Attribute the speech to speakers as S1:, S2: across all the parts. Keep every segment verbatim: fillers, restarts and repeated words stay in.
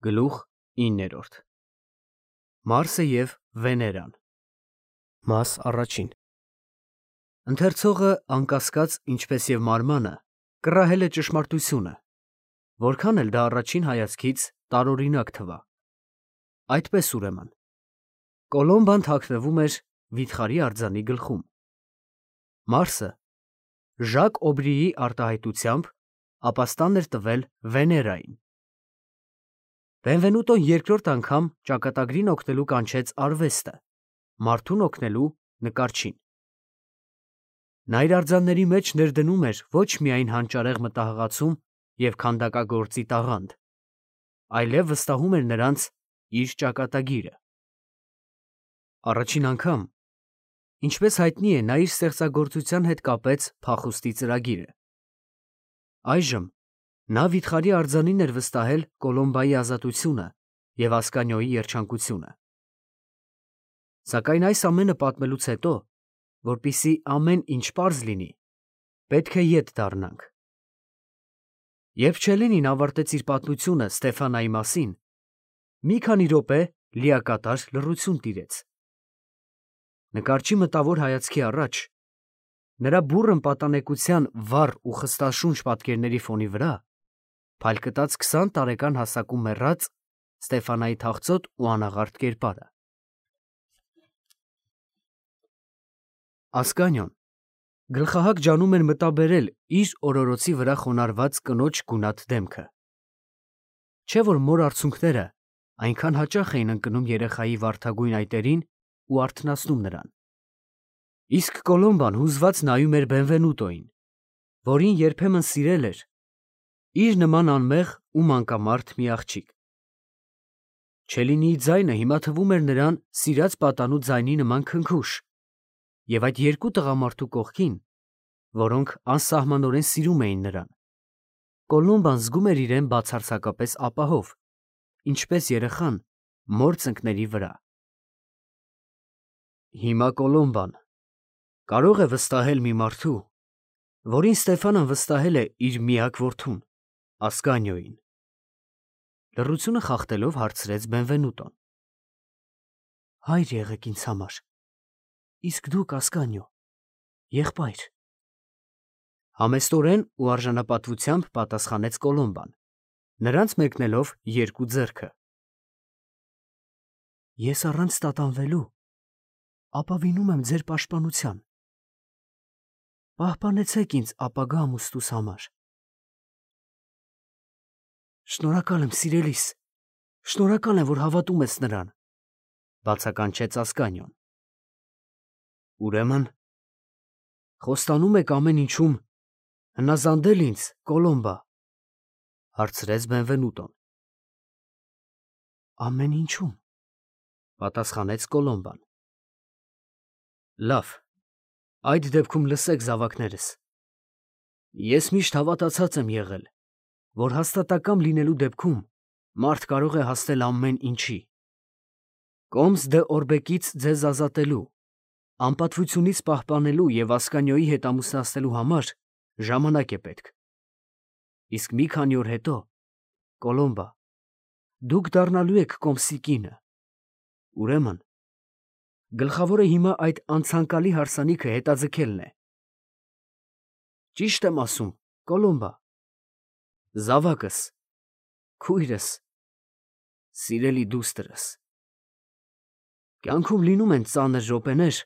S1: Գլուխ իններորդ Մարսը և Վեներան Մաս առաջին Ընթերցողը անկասկած, ինչպես և մարմանը, կռահել է ճշմարտությունը, որքան էլ դա առաջին հայացքից տարօրինակ թվա։ Այդպես ուրեմն, Կոլոմբան թաքնվում էր վիթխարի արձանի գլխում։ Մարսը Ժակ Օբրիի արտահայտությամբ ապաստան էր տվել Վեներային։ Բենվենուտոն երկրորդ անգամ ճակատագրին օգնելու կանչեց արվեստը, մարդուն օգնելու նկարչին։ Նա իր արձանների մեջ ներդնում էր ոչ միայն հանճարեղ մտահղացում և քանդակագործի տաղանդ, այլև վստահում էր նրանց իր ճակատագիրը։ Առաջին անգամ, ինչպես հայտնի է, նա իր ստեղծագործության հետ կապեց փախուստի ծրագիրը։ Այժմ նա վիթխարի արձանին էր վստահել Կոլոմբայի ազատությունը և Ասկանիոյի երջանկությունը։ Սակայն այս ամենը պատմելուց հետո, որպեսզի ամեն ինչ պարզ լինի, պետք է ետ դառնանք։ Երբ Չելենին ավարտեց իր պատմությունը Ստեֆանայի մասին, մի քանի րոպե լիակատար լռություն տիրեց։ Նկարչի մտավոր հայացքի առաջ, նրա բուռն պատանեկության վառ ու խստաշունչ պատկերների ֆոնի վրա, փայլկտաց քսան տարեկան հասակում մեռած Ստեֆանայի թախծոտ ու անաղարտ կերպարը։ Ասկանիոն գլխահակ ջանում էր մտաբերել իր օրորոցի վրա խոնարհված կնոջ գունատ դեմքը։ Չէ՞ որ մոր արցունքները այնքան հաճախ էին ընկնում երեխայի վարդագույն այտերին ու արթնացնում նրան։ Իսկ Կոլոմբան հուզված նայում էր Բենվենուտոյին, որին երբեմն սիրել էր, իր նման անմեղ ու մանկամարդ մի աղջիկ։ Չելինիի ձայնը հիմա թվում էր նրան սիրած պատանու ձայնի նման քնքուշ, և այդ երկու տղամարդու կողքին, որոնք անսահմանորեն սիրում էին նրան, Կոլոմբան զգում էր իրեն բացարձակապես ապահով, ինչպես երեխան մոր ծնկների վրա։ Հիմա Կոլոմբան կարող է վստահել մի մարդու, որին Ստեֆանան վստահել է իր միակ որդուն՝ Ասկանիոյին։ Լռությունը խախտելով հարցրեց Բենվենուտոն։ Հայր եղեք ինձ համար, իսկ դուք, Ասկանիո, եղբայր։ Համեստորեն ու արժանապատվությամբ պատասխանեց Կոլոմբան, նրանց մեկնելով երկու ձեռքը։ Ես առանց տատանվելու ապավինում եմ ձեր պաշտպանության։ Պահպանեցեք ինձ ապագա ամուսնուս համար։ Շնորհակալ եմ, սիրելիս, շնորհակալ եմ, որ հավատում ես նրան, բացականչեց Ասկանիոն։ Ուրեմն խոստանում եք ամեն ինչում հնազանդել ինձ, Կոլոմբա, հարցրեց Բենվենուտոն։ Ամեն ինչում, պատասխանեց Կոլոմբան։ Լավ, այդ դեպքում լսեք, զավակներս, ես միշտ հավատացած եմ եղել, որ հաստատակամ լինելու դեպքում մարդ կարող է հասնել ամեն ինչի։ Կոմս դե Օրբեկից ձեզ ազատելու, անպատվությունից պահպանելու և Ասկանիոյի հետ ամուսնացնելու համար ժամանակ է պետք։ Իսկ մի քանի օր հետո, Կոլոմբա, դուք դառնալու եք Կոմսի կինը։ Ուրեմն գլխավորը հիմա այդ անցանկալի հարսանիքը հետաձգելն է։ Ճիշտ եմ ասում, Կոլոմբա, զավակս, քույրս, սիրելի դուստրս։ Կյանքում լինում են ծանր րոպեներ,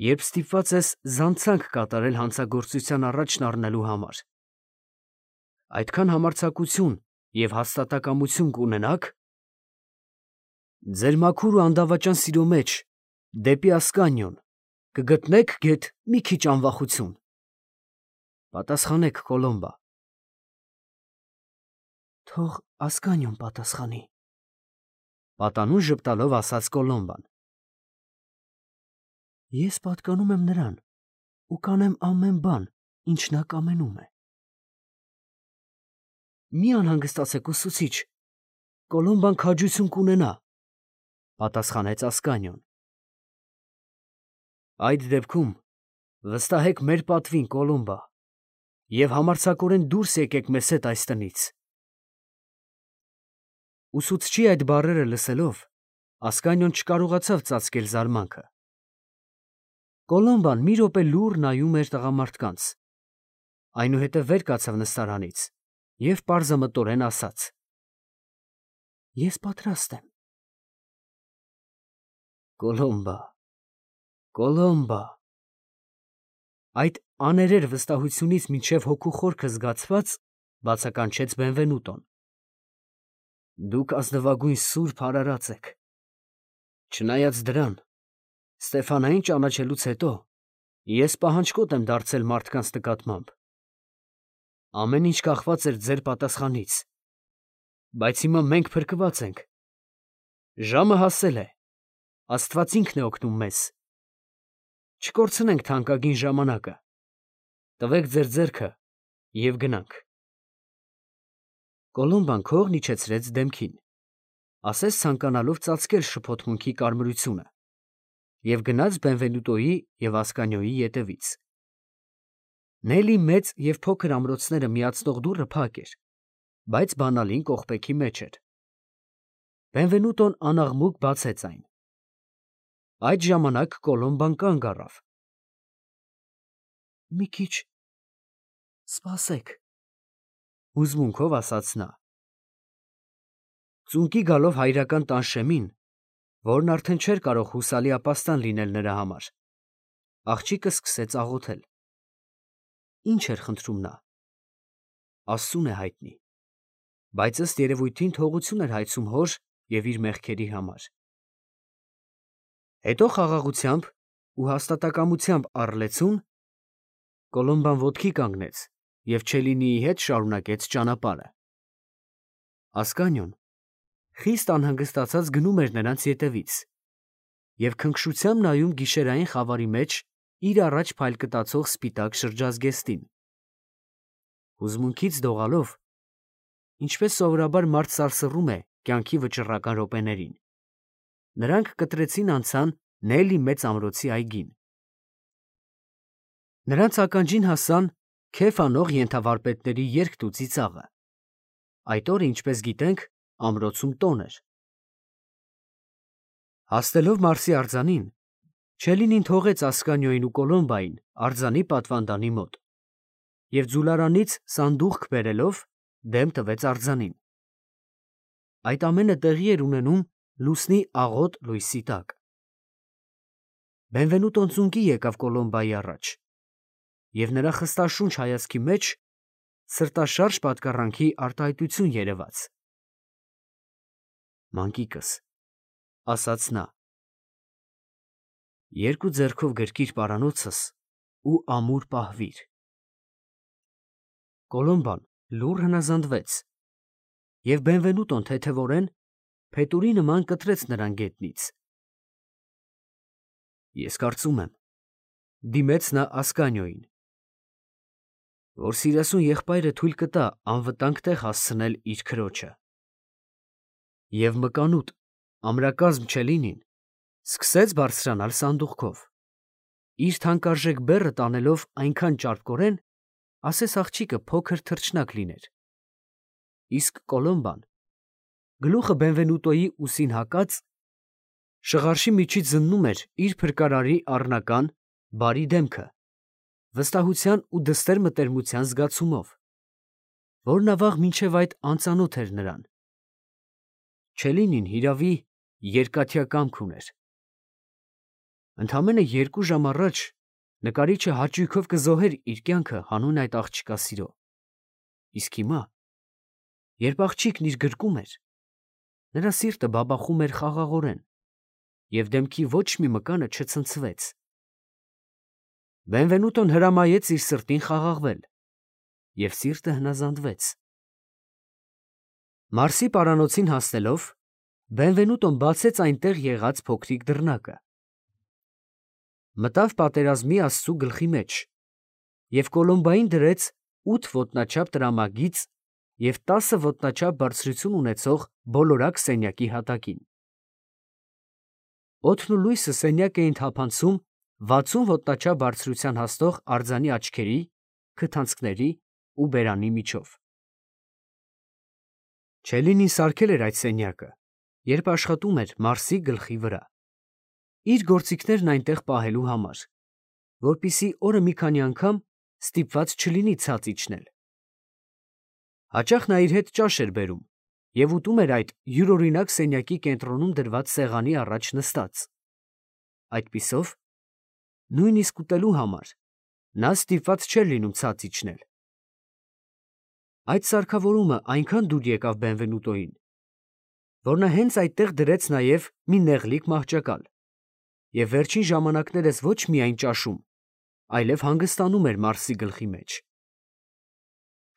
S1: երբ ստիպված ես զանցանք կատարել հանցագործության առաջն առնելու համար։ Այդքան համարձակություն և հաստատակամություն կունենաք, ձեր մաքուր ու անդավաճան սիրո մեջ դեպի Ասկանիոն կգտնեք գեթ մի քիչ անվախություն։ Պատասխանեք, Կոլոմբա։ Թող Ասկանիոն պատասխանի, պատանուն ժպտալով ասաց Կոլոմբան։ Ես պատկանում եմ նրան ու կանեմ ամեն բան, ինչ նա կամենում է։ Մի անհանգստացեք, ուսուցիչ, Կոլոմբան քաջություն կունենա, պատասխանեց Ասկանիոն։ Այդ դեպքում վստահեք մեր պատվին, Կոլոմբա, և համարձակորեն դուրս եկեք մեզ հետ այս տնից։ Ուսուցչի այդ բառերը լսելով, Ասկանիոն չկարողացավ ծածկել զարմանքը։ Կոլոմբան մի րոպե լուռ նայում էր տղամարդկանց, այնուհետև վեր կացավ նստարանից և պարզամտորեն ասաց. Ես պատրաստ եմ։ Կոլոմբա, Կոլոմբա։ Այդ աներեր վստահությունից մինչև հոգու խորքը զգացված բացականչեց Բենվենուտոն։ Դուք ազնվագույն սուրբ արարած եք։ Չնայած դրան, Ստեֆանային ճանաչելուց հետո ես պահանջկոտ եմ դարձել մարդկանց նկատմամբ։ Ամեն ինչ կախված էր ձեր պատասխանից, բայց հիմա մենք փրկված ենք։ Ժամը հասել է, Աստված ինքն է օգնում մեզ։ Չկորցնենք թանկագին ժամանակը։ Տվեք ձեր ձեռքը և գնանք։ Կոլոմբան քողն իջեցրեց դեմքին, ասես ցանկանալով ծածկել շփոթմունքի կարմրությունը, և գնաց Բենվենուտոյի և Ասկանիոյի ետևից։ Նելի մեծ և փոքր ամրոցները միացնող դուռը փակ էր, բայց բանալին կողպեքի մեջ էր։ Բենվենուտոն անաղմուկ բացեց այն։ Այդ ժամանակ Կոլոմբան կանգ առավ։ Մի քիչ սպասեք, հուզմունքով ասաց նա։ Ծունկի գալով հայրական տանշեմին, որն արդեն չէր կարող հուսալի ապաստան լինել նրա համար, աղջիկը սկսեց աղոթել։ Ինչ էր խնդրում նա։ Աստծուն է հայտնի, բայց ըստ երևույթին թողություն էր հայցում հոր և իր մեղքերի համար։ Հետո խաղաղությամբ ու հաստատակամությամբ առլեցուն Կոլոմբան ոտքի կանգնեց և Չելլինիի հետ շարունակեց ճանապարհը։ Ասկանիոն խիստ անհանգստացած գնում էր նրանց ետևից և քնքշությամբ նայում գիշերային խավարի մեջ իր առաջ փայլկտացող սպիտակ շրջազգեստին։ Հուզմունքից դողալով, ինչպես սովորաբար մարդ սարսռում է կյանքի վճռական րոպեներին, նրանք կտրեցին անցան Նելի մեծ ամրոցի այգին։ Նրանց ականջին հասան քեֆ անող ենթավարպետների երգն ու ծիծաղը։ Այդ օրը, ինչպես գիտենք, ամրոցում տոն էր։ Հասնելով Մարսի արձանին, Չելլինին թողեց Ասկանիոյին ու Կոլոմբային արձանի պատվանդանի մոտ և ձուլարանից սանդուղք բերելով դեմ տվեց արձանին։ Այդ ամենը տեղի էր ունենում լուսնի աղոտ լույսի տակ։ Բենվենուտոն ծունկի եկավ Կոլոմբայի առաջ, և նրա խստաշունչ հայացքի մեջ սրտաշարժ պատկառանքի արտահայտություն երևաց։ Մանկիկս, ասաց նա, երկու ձեռքով գրկիր պարանոցս ու ամուր պահվիր։ Կոլոմբան լուռ հնազանդվեց, և Բենվենուտոն թեթևորեն, փետուրի նման կտրեց նրան գետնից։ Ես կարծում եմ, դիմեց նա Ասկանիոյին, որ սիրասուն եղբայրը թույլ կտա անվտանգ տեղ հասցնել իր քրոջը։ Եվ մկանուտ, ամրակազմ Չելլինին սկսեց բարձրանալ սանդուղքով, իր թանկարժեք բեռը տանելով այնքան ճարպկորեն, ասես աղջիկը փոքր թռչնակ լիներ, իսկ Կոլոմբան, գլուխը Բենվենուտոյի ուսին հակած, շղարշի միջից զննում էր իր փրկարարի առնական, բարի դեմքը, վստահության ու դստեր մտերմության զգացումով, որն ավաղ մինչև այդ անծանոթ էր նրան։ Չելլինին, հիրավի, երկաթյա կամք ուներ։ Ընդամենը երկու ժամ առաջ նկարիչը հաճույքով կզոհեր իր կյանքը հանուն այդ աղջկա սիրո, իսկ հիմա, երբ աղջիկն իր գրկում էր, նրա սիրտը բաբախում էր խաղաղորեն, և դեմքի ոչ մի մկանը չցնցվեց։ Բենվենուտոն հրամայեց իր սրտին խաղաղվել, և սիրտը հնազանդվեց։ Մարսի պարանոցին հասնելով, Բենվենուտոն բացեց այնտեղ եղած փոքրիկ դռնակը, մտավ պատերազմի աստծու գլխի մեջ և Կոլոմբային դրեց ութ ոտնաչափ տրամագիծ և տասը ոտնաչափ բարձրություն ունեցող բոլորակ սենյակի հատակին։ Օդն ու լույսը սենյակ էին թափանցում վաթսուն ոտնաչափ բարձրության հասնող արձանի աչքերի, քթանցքների ու բերանի միջով։ Չելինին սարքել էր այդ սենյակը, երբ աշխատում էր Մարսի գլխի վրա, իր գործիքներն այնտեղ պահելու համար, որպեսզի օրը մի քանի անգամ ստիպված չլինի ցած իջնել։ Հաճախ նա իր հետ ճաշ էր բերում և ուտում էր այդ յուրօրինակ սենյակի կենտրոնում դրված սեղանի առաջ նստած։ Այդպիսով, նույնիսկ ուտելու համար նա ստիպված չէր լինում ցած իջնել։ Այդ սարքավորումը այնքան դուր եկավ Բենվենուտոյին, որ նա հենց այդտեղ դրեց նաև մի նեղլիկ մահճակալ և վերջին ժամանակներս ոչ միայն ճաշում, այլև հանգստանում էր Մարսի գլխի մեջ։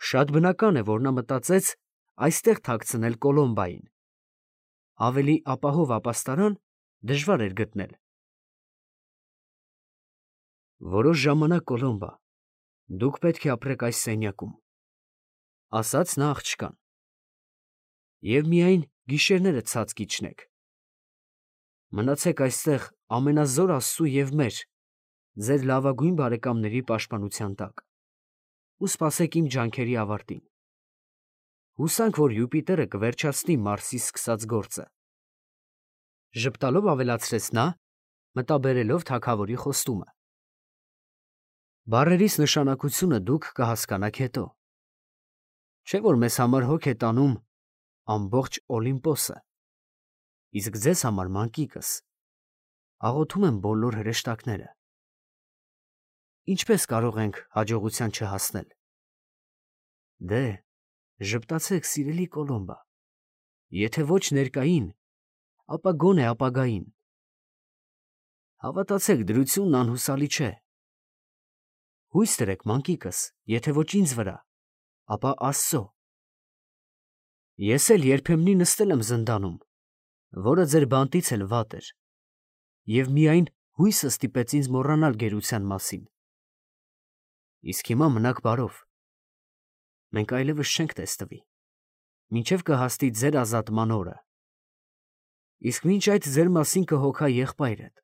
S1: Շատ բնական է, որ նա մտածեց այստեղ թաքցնել Կոլոմբային։ Ավելի ապահով ապաստարան դժվար էր գտնել։ Որոշ ժամանակ, Կոլոմբա, դուք պետք է ապրեք այս սենյակում, ֊ ասաց նա աղջկան, ֊ և միայն գիշերները ցած կիջնեք։ Մնացեք այստեղ ամենազոր Աստծու և մեր, ձեր լավագույն բարեկամների պաշտպանության տակ ու սպասեք իմ ջանքերի ավարտին։ Հուսանք, որ Յուպիտերը կվերջացնի Մարսի սկսած գործը, ֊ ժպտալով ավելացրեց նա, մտաբերելով թագավորի խոստումը։ Բառերիս նշանակությունը դուք կհասկանաք հետո։ Չէ՞ որ մեզ համար հոգ է տանում ամբողջ Օլիմպոսը, իսկ ձեզ համար, մանկիկս, աղոթում են բոլոր հրեշտակները։ Ինչպե՞ս կարող ենք հաջողության չհասնել։ Դե, ժպտացեք, սիրելի Կոլոմբա, եթե ոչ ներկային, ապա գոնե ապագային։ Հավատացեք, դրությունն անհուսալի չէ։ Հույս դրեք, մանկիկս, եթե ոչ ինձ վրա, ապա Աստծո։ Ես էլ երբեմնի նստել եմ զնդանում, որը ձեր բանտից էլ վատ էր, և միայն հույսը ստիպեց ինձ մոռանալ գերության մասին։ Իսկ հիմա մնաք բարով, մենք այլևս չենք տեսնվի, մինչև կհասնի ձեր ազատման օրը, իսկ մինչ այդ ձեր մասին կհոգա եղբայրդ,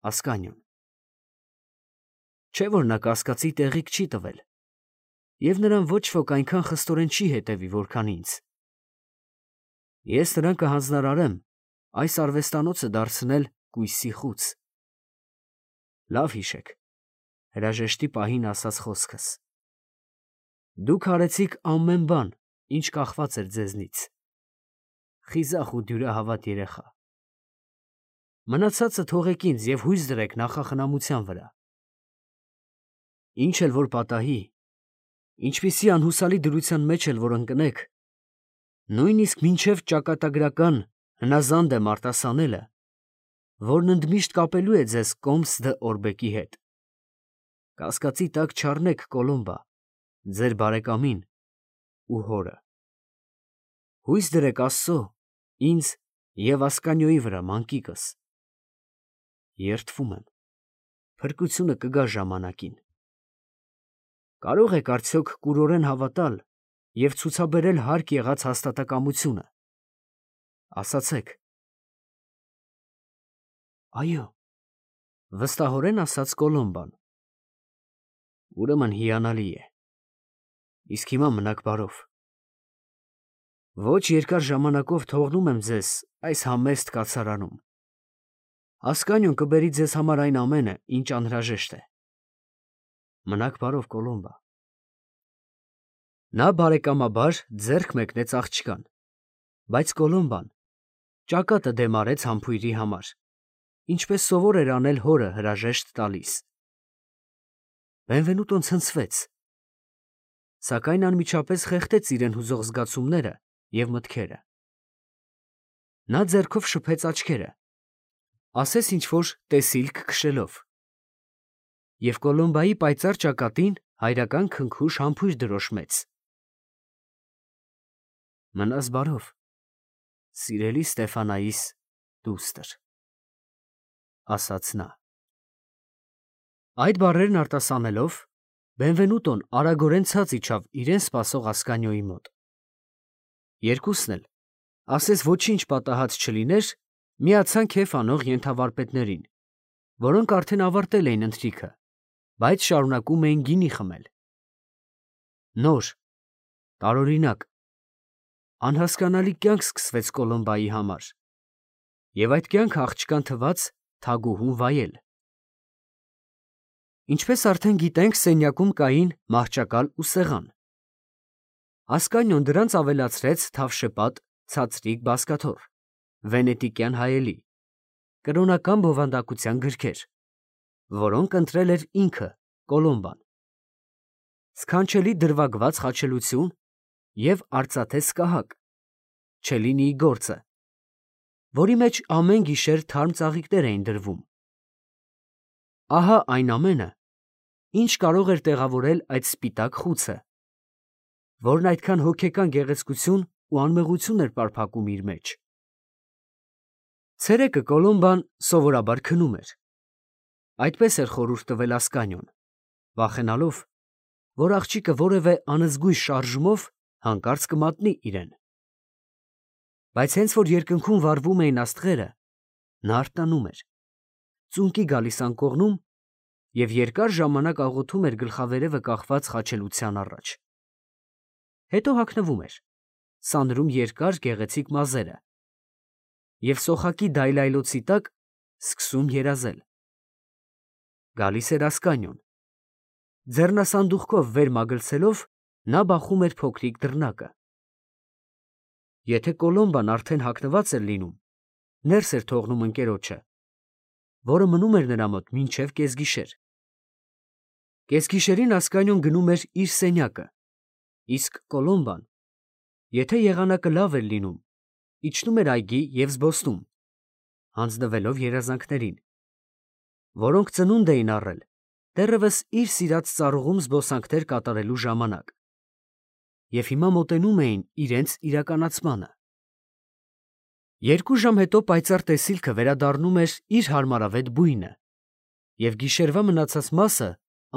S1: Ասկանիոն։ Չէ՞ որ նա կասկածի տեղիք չի տվել, և նրան ոչ ոք այնքան խստորեն չի հետևի, որքան ինձ։ Ես նրան կհանձնարարեմ այս արվեստանոցը դարձնել կույսի խուց։ Լավ հիշեք հրաժեշտի պահին ասած խոսքս. դուք արեցիք ամեն բան, ինչ կախված էր ձեզնից։ Խիզախ ու դյուրահավատ երեխա։ Մնացածը թողեք ինձ և հույս դրեք նախախնամության վրա։ Ինչ էլ որ պատահի, ինչպիսի անհուսալի դրության մեջ էլ որ ընկնեք, նույնիսկ մինչև ճակատագրական հնազանդ եմ արտասանելը, որն ընդմիշտ կապելու է ձեզ Կոմս դը Օրբեկի հետ, կասկածի տակ չառնեք, Կոլոմբա, ձեր բարեկամին ու հորը։ Հույս դրեք Աստծո, ինձ և Ասկանիոյի վրա, մանկիկս։ Երդվում եմ, փրկությունը կգա ժամանակին։ Կարո՞ղ եք արդյոք կուրորեն հավատալ և ցուցաբերել հարկ եղած հաստատակամությունը։ Ասացեք։ Այո, ֊ վստահորեն ասաց Կոլոմբան։ Ուրեմն հիանալի է։ Իսկ հիմա մնաք բարով։ Ոչ երկար ժամանակով թողնում եմ ձեզ այս համեստ կացարանում։ Ասկանիոն կբերի ձեզ համար այն ամենը, ինչ անհրաժեշտ է։ Մնաք բարով, Կոլոմբա։ Նա բարեկամաբար ձեռք մեկնեց աղջկան, բայց Կոլոմբան ճակատը դեմ արեց համբույրի համար, ինչպես սովոր էր անել հորը հրաժեշտ տալիս։ Բենվենուտոն ցնցվեց, սակայն անմիջապես խեղդեց իրեն հուզող զգացումները և մտքերը։ Նա ձեռքով շփեց աչքերը, ասես ինչ֊որ տեսիլք քշելով, և Կոլոմբայի պայծառ ճակատին հայրական քնքուշ համբույր դրոշմեց։ Մնաս բարով, սիրելի Ստեֆանայիս դուստր, ֊ ասաց նա։ Այդ բառերն արտասանելով, Բենվենուտոն արագորեն ցած իջավ իրեն սպասող Ասկանիոյի մոտ։ Երկուսն էլ, ասես ոչինչ պատահած չլիներ, միացան քեֆ անող ենթավարպետներին, որոնք արդեն ավարտել էին ընթրիքը, բայց շարունակում էին գինի խմել։ Նոր, տարօրինակ, Անհասկանալի կյանք սկսվեց Կոլոմբայի համար, և այդ կյանքը աղջկան թվաց թագուհուն վայել։ Ինչպես արդեն գիտենք, սենյակում կային մահճակալ ու սեղան։ Ասկանիոն դրանց ավելացրեց թավշեպատ, ցածրիկ բազկաթոռ, վենետիկյան հայելի, կրոնական բովանդակության գրքեր, որոնք ընտրել էր ինքը Կոլոմբան, սքանչելի դրվագված խաչելություն և արծաթե սկահակ, Չելինիի գործը, որի մեջ ամեն գիշեր թարմ ծաղիկներ էին դրվում։ Ահա այն ամենը, ինչ կարող էր տեղավորել այդ սպիտակ խուցը, որն այդքան հոգեկան գեղեցկություն ու անմեղություն էր պարփակում իր մեջ։ Ցերեկը Կոլոմբան սովորաբար քնում էր։ Այդպես էր խորհուրդ տվել Ասկանիոն, վախենալով, որ աղջիկը որևէ անզգույշ շարժումով հանկարծ կմատնի իրեն։ Բայց հենց որ երկնքում վառվում էին աստղերը, նա արթնանում էր, ծունկի գալիս անկողնում և երկար ժամանակ աղոթում էր գլխավերևը կախված խաչելության առաջ։ Հետո հագնվում էր, սանրում երկար գեղեցիկ մազերը և սոխակի դայլայլոցի տակ սկսում երազել։ Գալիս էր Ասկանիոն։ Ձեռնասանդուղքով վեր մագլցելով նա բախում էր փոքրիկ դռնակը։ Եթե Կոլոմբան արդեն հագնված էր լինում, ներս էր թողնում ընկերոջը, որը մնում էր նրա մոտ մինչև կեսգիշեր։ Կեսգիշերին Ասկանիոն գնում էր իր սենյակը, իսկ Կոլոմբան, եթե եղանակը լավ էր լինում, իջնում էր այգի և զբոսնում, հանձնվելով երազանքներին, որոնք ծնունդ էին առել դեռևս իր սիրած ծառուղում զբոսանքներ կատարելու ժամանակ և հիմա մոտենում էին իրենց իրականացմանը։ Երկու ժամ հետո պայծառ տեսիլքը վերադառնում էր իր հարմարավետ բույնը, և գիշերվա մնացած մասը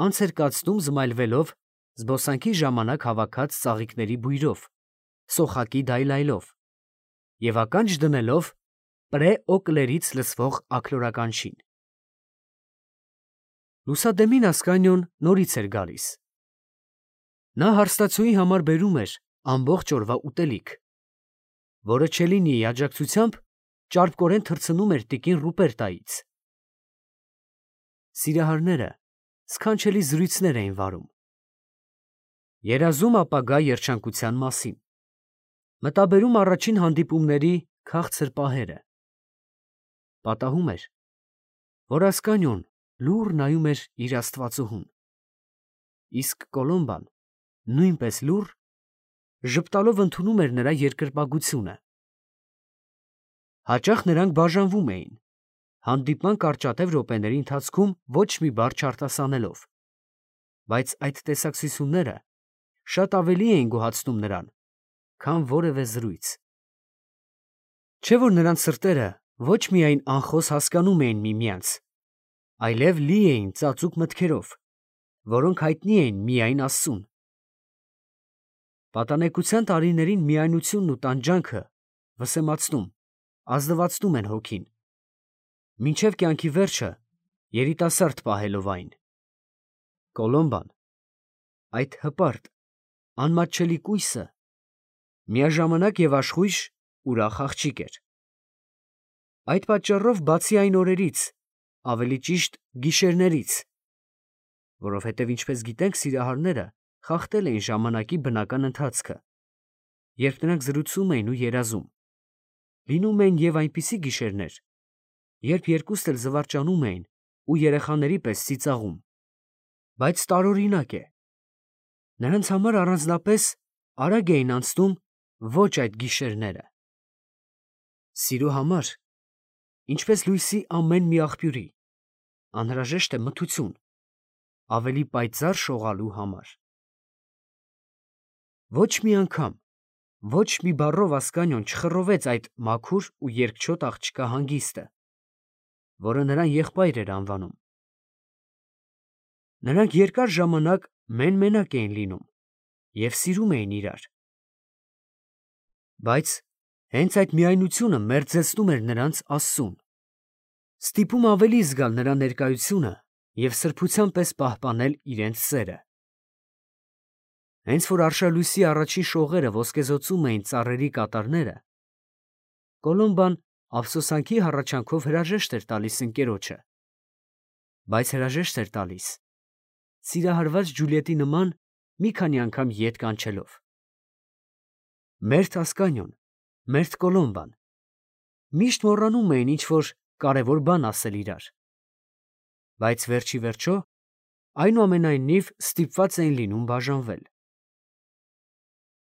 S1: անց էր կացնում զմայլվելով զբոսանքի ժամանակ հավաքած ծաղիկների բույրով, սոխակի դայլայլով և ականջ դնելով պրեօկլերից լսվող աքլորականչին։ Լուսադեմին Ասկանիոն նորից էր գալիս։ Նա հարստացուի համար բերում էր ամբողջ օրվա ուտելիք, որը Չելինիի աջակցությամբ ճարպկորեն թռցնում էր տիկին Ռուպերտայից։ Սիրահարները սքանչելի զրույցներ էին վարում, երազում ապագա երջանկության մասին, մտաբերում առաջին հանդիպումների քաղցր պահերը։ Պատահում էր, որ Ասկանիոն լուռ նայում էր իր աստվածուհուն, իսկ Կոլոմբան նույնպես լուռ, ժպտալով ընդունում էր նրա երկրպագությունը։ Հաճախ նրանք բաժանվում էին, հանդիպման կարճատև րոպեների ընթացքում ոչ մի բառ չարտասանելով, բայց այդ տեսակցությունները շատ ավելի էին գոհացնում նրան, քան որևէ զրույց։ Չէ՞ որ նրանց սրտերը ոչ միայն անխոս հասկանում էին միմյանց, այլև լի էին ծածուկ մտքերով, որոնք հայտնի էին միայն Աստծուն։ Պատանեկության տարիներին միայնությունն ու տանջանքը վսեմացնում, ազնվացնում են հոգին, մինչև կյանքի վերջը երիտասարդ պահելով այն։ Կոլոմբան, այդ հպարտ, անմատչելի կույսը, միաժամանակ և աշխույժ, ուրախ աղջիկ էր։ Այդ պատճառով բացի այն օրերից, ավելի ճիշտ գիշերներից, որովհետև ինչպես գիտենք, սիրահարները խախտել էին ժամանակի բնական ընթացքը, երբ նրանք զրուցում էին ու երազում, լինում էին և այնպիսի գիշերներ, երբ երկուստ էլ զվարճանում էին ու երեխաների պես ծիծաղում, բայց տարօրինակ է, նրանց համար առանձնապես արագ էին անցնում ոչ այդ գիշերները։ Սիրո համար, ինչպես լույսի ամեն մի աղբյուրի, անհրաժեշտ է մթություն, ավելի պայծառ շողալու համար։ Ոչ մի անգամ, ոչ մի բառով Ասկանիոն չխռովեց այդ մաքուր ու երկչոտ աղջկա հանգիստը, որը նրան եղբայր էր անվանում։ Նրանք երկար ժամանակ մեն֊մենակ էին լինում և սիրում էին իրար։ Բայց հենց այդ միայնությունը մերձեցնում էր նրանց Աստծուն, ստիպում ավելի զգալ նրա ներկայությունը և սրբության պես պահպանել իրենց սերը։ Հենց որ արշալույսի առաջին շողերը ոսկեզօծում էին ծառերի կատարները, Կոլոմբան ափսոսանքի հառաչանքով հրաժեշտ էր տալիս ընկերոջը, բայց հրաժեշտ էր տալիս սիրահարված Ջուլիետի նման մի քանի անգամ ետ կանչելով. «Մերթ Ասկանիոն, մերթ Կոլոմբան» միշտ մոռանում էին ինչ-որ կարևոր բան ասել իրար, բայց վերջ ի վերջո այնուամենայնիվ ստիպված էին լինում բաժանվել։